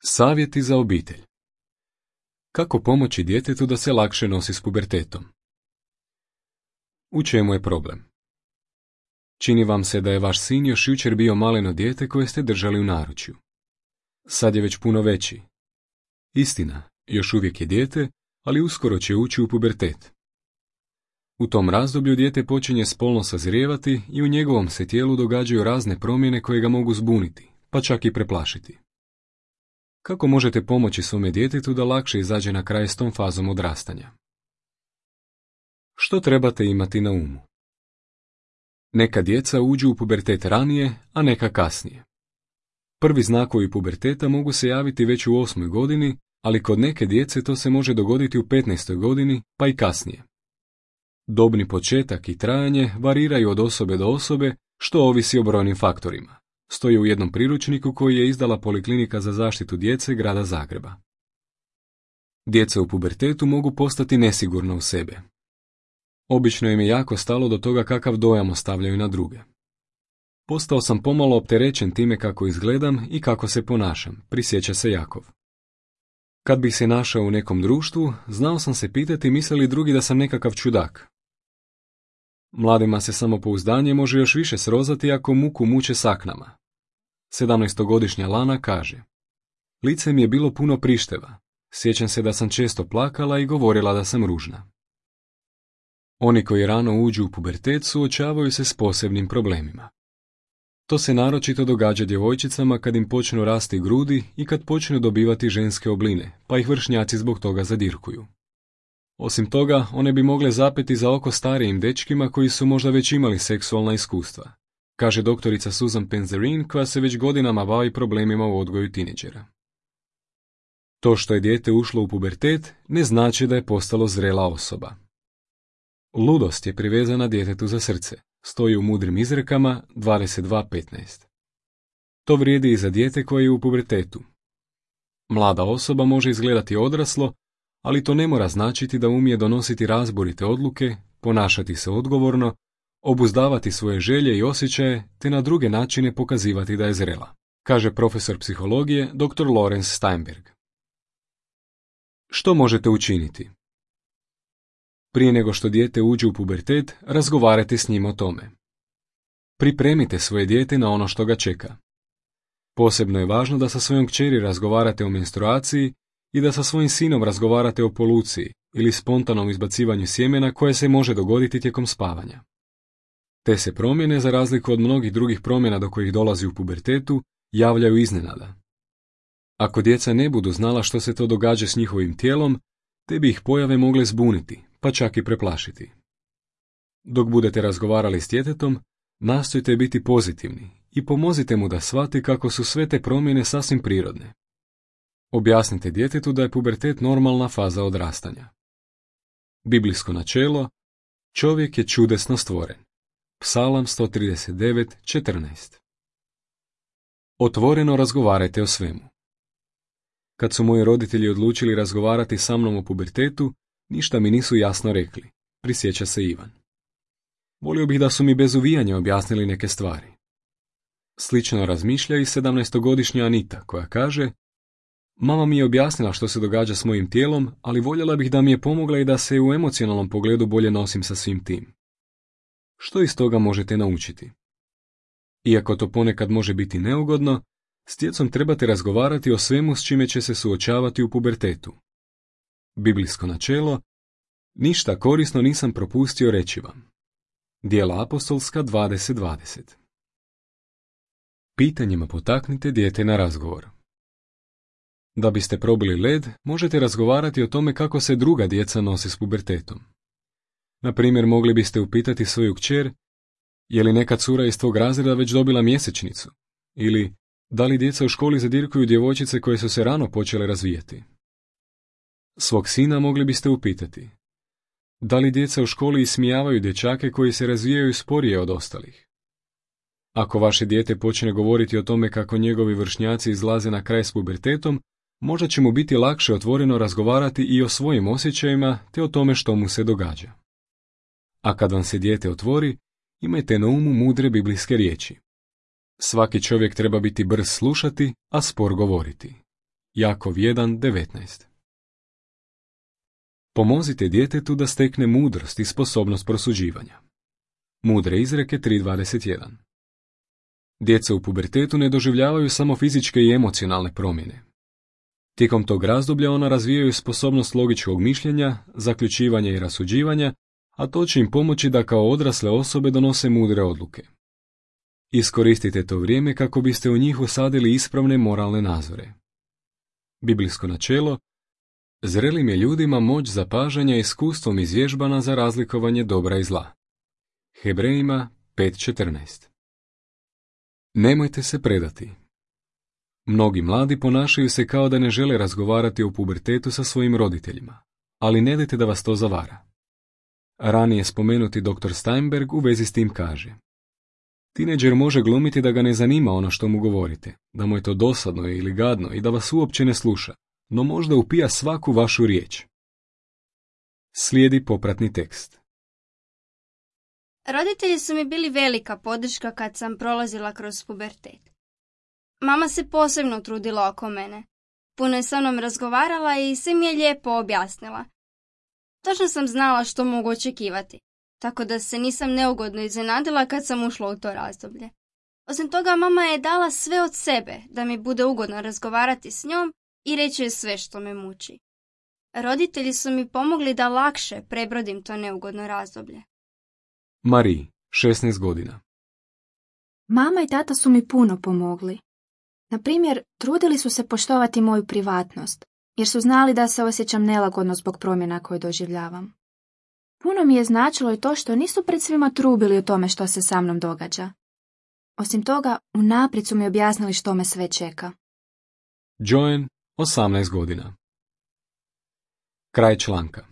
Savjeti za obitelj. Kako pomoći djetetu da se lakše nosi s pubertetom? U čemu je problem? Čini vam se da je vaš sin još jučer bio maleno dijete koje ste držali u naručju. Sad je već puno veći. Istina, još uvijek je dijete, ali uskoro će ući u pubertet. U tom razdoblju dijete počinje spolno sazrijevati i u njegovom se tijelu događaju razne promjene koje ga mogu zbuniti, pa čak i preplašiti. Kako možete pomoći svome djetetu da lakše izađe na kraj s tom fazom odrastanja? Što trebate imati na umu? Neka djeca uđu u pubertet ranije, a neka kasnije. Prvi znakovi puberteta mogu se javiti već u 8. godini, ali kod neke djece to se može dogoditi u 15. godini, pa i kasnije. Dobni početak i trajanje variraju od osobe do osobe, što ovisi o brojnim faktorima. Stoji u jednom priručniku koji je izdala Poliklinika za zaštitu djece Grada Zagreba. Djeca u pubertetu mogu postati nesigurna u sebe. Obično im je jako stalo do toga kakav dojam ostavljaju na druge. Postao sam pomalo opterećen time kako izgledam i kako se ponašam, prisjeća se Jakov. Kad bih se našao u nekom društvu, znao sam se pitati misle li drugi da sam nekakav čudak. Mladima se samopouzdanje može još više srozati ako muku muče saknama. 17-godišnja Lana kaže: lice mi je bilo puno prišteva. Sjećam se da sam često plakala i govorila da sam ružna. Oni koji rano uđu u pubertet suočavaju se s posebnim problemima. To se naročito događa djevojčicama kad im počnu rasti grudi i kad počnu dobivati ženske obline, pa ih vršnjaci zbog toga zadirkuju. Osim toga, one bi mogle zapeti za oko starijim dečkima koji su možda već imali seksualna iskustva, kaže doktorica Susan Penzerin koja se već godinama bavi problemima u odgoju tineđera. To što je dijete ušlo u pubertet ne znači da je postalo zrela osoba. Ludost je privezana djetetu za srce, stoji u mudrim izrekama 22.15. To vrijedi i za dijete koje je u pubertetu. Mlada osoba može izgledati odraslo, ali to ne mora značiti da umije donositi razborite odluke, ponašati se odgovorno, obuzdavati svoje želje i osjećaje, te na druge načine pokazivati da je zrela, kaže profesor psihologije dr. Lorenz Steinberg. Što možete učiniti? Prije nego što dijete uđe u pubertet, razgovarajte s njim o tome. Pripremite svoje dijete na ono što ga čeka. Posebno je važno da sa svojom kćeri razgovarate o menstruaciji i da sa svojim sinom razgovarate o poluciji ili spontanom izbacivanju sjemena koje se može dogoditi tijekom spavanja. Te se promjene, za razliku od mnogih drugih promjena do kojih dolazi u pubertetu, javljaju iznenada. Ako djeca ne budu znala što se to događa s njihovim tijelom, te bi ih pojave mogle zbuniti, pa čak i preplašiti. Dok budete razgovarali s djetetom, nastojte biti pozitivni i pomozite mu da shvati kako su sve te promjene sasvim prirodne. Objasnite djetetu da je pubertet normalna faza odrastanja. Biblijsko načelo: čovjek je čudesno stvoren. Psalam 139.14. Otvoreno razgovarajte o svemu. Kad su moji roditelji odlučili razgovarati sa mnom o pubertetu, ništa mi nisu jasno rekli, prisjeća se Ivan. Volio bih da su mi bez uvijanja objasnili neke stvari. Slično razmišlja i 17-godišnja Anita, koja kaže: mama mi je objasnila što se događa s mojim tijelom, ali voljela bih da mi je pomogla i da se u emocionalnom pogledu bolje nosim sa svim tim. Što iz toga možete naučiti? Iako to ponekad može biti neugodno, s djecom trebate razgovarati o svemu s čime će se suočavati u pubertetu. Biblijsko načelo: ništa korisno nisam propustio reći vam. Djela apostolska 20.20. Pitanjima potaknite dijete na razgovor. Da biste probili led, možete razgovarati o tome kako se druga djeca nose s pubertetom. Na primjer, mogli biste upitati svoju kćer: je li neka cura iz tvog razreda već dobila mjesečnicu? Ili: da li djeca u školi zadirkuju djevojčice koje su se rano počele razvijati? Svog sina mogli biste upitati: da li djeca u školi ismijavaju dječake koji se razvijaju sporije od ostalih? Ako vaše dijete počne govoriti o tome kako njegovi vršnjaci izlaze na kraj s pubertetom, možda će mu biti lakše otvoreno razgovarati i o svojim osjećajima te o tome što mu se događa. A kad vam se dijete otvori, imajte na umu mudre biblijske riječi. Svaki čovjek treba biti brz slušati, a spor govoriti. Jakov 1.19. Pomozite djetetu da stekne mudrost i sposobnost prosuđivanja. Mudre izreke 3.21. Djeca u pubertetu ne doživljavaju samo fizičke i emocionalne promjene. Tijekom tog razdoblja ona razvijaju sposobnost logičkog mišljenja, zaključivanja i rasuđivanja, a to će im pomoći da kao odrasle osobe donose mudre odluke. Iskoristite to vrijeme kako biste u njih usadili ispravne moralne nazore. Biblijsko načelo: zrelim je ljudima moć zapažanja iskustvom izvježbana za razlikovanje dobra i zla. Hebrejima 5.14. Nemojte se predati. Mnogi mladi ponašaju se kao da ne žele razgovarati o pubertetu sa svojim roditeljima, ali ne dajte da vas to zavara. Ranije spomenuti dr. Steinberg u vezi s tim kaže: tineđer može glumiti da ga ne zanima ono što mu govorite, da mu je to dosadno ili gadno i da vas uopće ne sluša, no možda upija svaku vašu riječ. Slijedi popratni tekst. Roditelji su mi bili velika podrška kad sam prolazila kroz pubertet. Mama se posebno trudila oko mene. Puno je sa mnom razgovarala i sve mi je lijepo objasnila. Točno sam znala što mogu očekivati, tako da se nisam neugodno iznenadila kad sam ušla u to razdoblje. Osim toga, mama je dala sve od sebe da mi bude ugodno razgovarati s njom i reći joj sve što me muči. Roditelji su mi pomogli da lakše prebrodim to neugodno razdoblje. Marie, 16 godina. Mama i tata su mi puno pomogli. Na primjer, trudili su se poštovati moju privatnost, jer su znali da se osjećam nelagodno zbog promjena koje doživljavam. Puno mi je značilo i to što nisu pred svima trubili o tome što se sa mnom događa. Osim toga, unaprijed su mi objasnili što me sve čeka. Joan, 18 godina. Kraj članka.